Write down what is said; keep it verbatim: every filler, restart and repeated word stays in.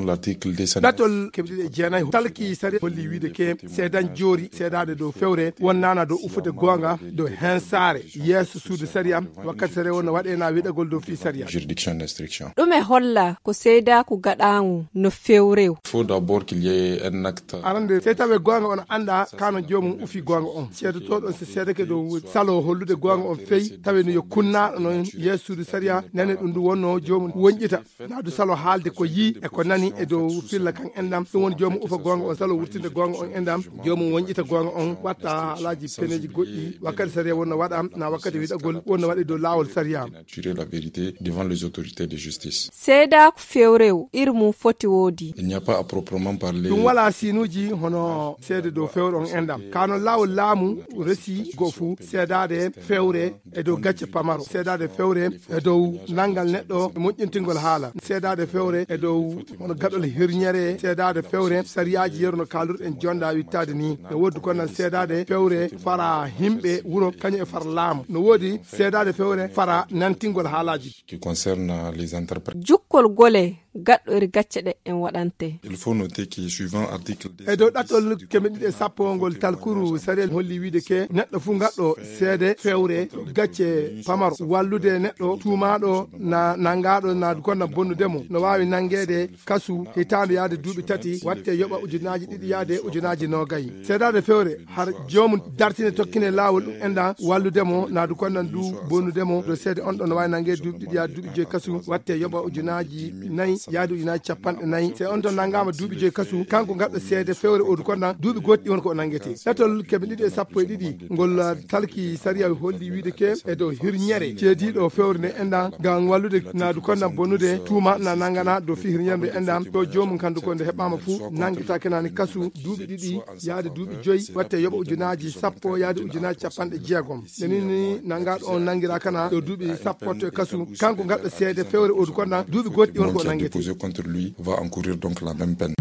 L'article deux cent. Ɗatol keɓe ɗiɗi e jeenayi talki sariya holli wiide ke seedan joori seedaade dow fewre wonnaana dow ufude goonga dow heen saare yeeso suudu sariya. Wakkati sariya wonno waɗeena wiɗagol dow fii sariya. Juridiction d'instruction. Ɗum e holla ko seedaaku gaɗaangu no fewrew. Faut d'abord qu'il y ait un acte. Arande sey tawe goonga on annda kano joomum ufi goonga on seedotooɗo on so seedake dow salo hollude goonga on fey tawe no yo kunnaaɗo noon yeeso suudu sariya nane ɗum ndu wonno joomum wonƴita. Naadu salo haalde ko yii e ko nani e dow filla kan enɗam ɗum woni joomum ufa goonga on salo wurtinde goonga on enɗam joomum wonƴita goonga on watta alaaji peneeji goɗɗi wakkati sariya wonno waɗa na wakkati wiɗagol wonno waɗe dow laawol sariya. Tirer la vérité devant les autorités de justice. Seedaaku fewrew iri mum foti woodi. Il n'y a pas à proprement parler. Ɗum wala siinuuji hono seede dow fewre on enɗam kano laawol laamu resi go fuu seedaade fewre e dow gacce pamaro seedaade fewre e dow nanngal neɗɗo moƴƴintingol haala seedaade fewre e dow hono gaɗol hirñere seedaade fewre sariyaaji yeru no kaalduɗen jonda wittaade ni no woodi kono seedaade fewre fara himɓe wuro kañum e fara laamu no woodi seedaade fewre fara nantingol haalaaji. Qui concerne les entreprises. Jukkol gole gaɗɗo iri gacce ɗe en waɗante. Il faut noter que suivant article deux cent dix. E dow ɗattol keme ɗiɗi e sappo ngol talkuru sariyel holli wiide ke neɗɗo fuu gaɗɗo seede fewre gacce pamaro wallude neɗɗo tuumaaɗo na nanngaaɗo na gonna bonnude mo no waawi nanngeede kasu hitaande yaade duuɓi tati watte yoɓa ujunaaji ɗiɗi yaade ujunaaji noogay seedaade fewre har joomum dartine tokkine laawol ɗum enɗan wallude mo na du konnan du bonnude mo dow seede on ɗon no waawi nanngeede duuɓi ɗiɗi yaade duuɓi joyi kasu watte yoɓa ujunaaji nayi yaade ujunaaji capanɗe nayi se on ton nanngaama duuɓi joyi kasu kanko gaɗɗo seede fewre odu konnan duuɓi goɗɗi won ko o nanngete ɗatol keme ɗiɗi e sappo e ɗiɗi ngol talki sariya holli wiide ke e dow hirñere ceediiɗo fewre nde enɗan ngam wallude naadu konnan bonnude tuuma na nanngana dow fii hirñere nde enɗan to joomum kandu ko nde heɓaama fuu nanngita kenani kasu duuɓi ɗiɗi yaade duuɓi joyi watte yoɓa ujunaaji sappo yaade ujunaaji capanɗe jeegom nde nini nanngaaɗo on nanngira kana ɗo duuɓi sappo watto e kasu kanko gaɗɗo seede fewre odu konnan duuɓi goɗɗi won ko o nanngete. Déposé contre lui va encourir donc la même peine.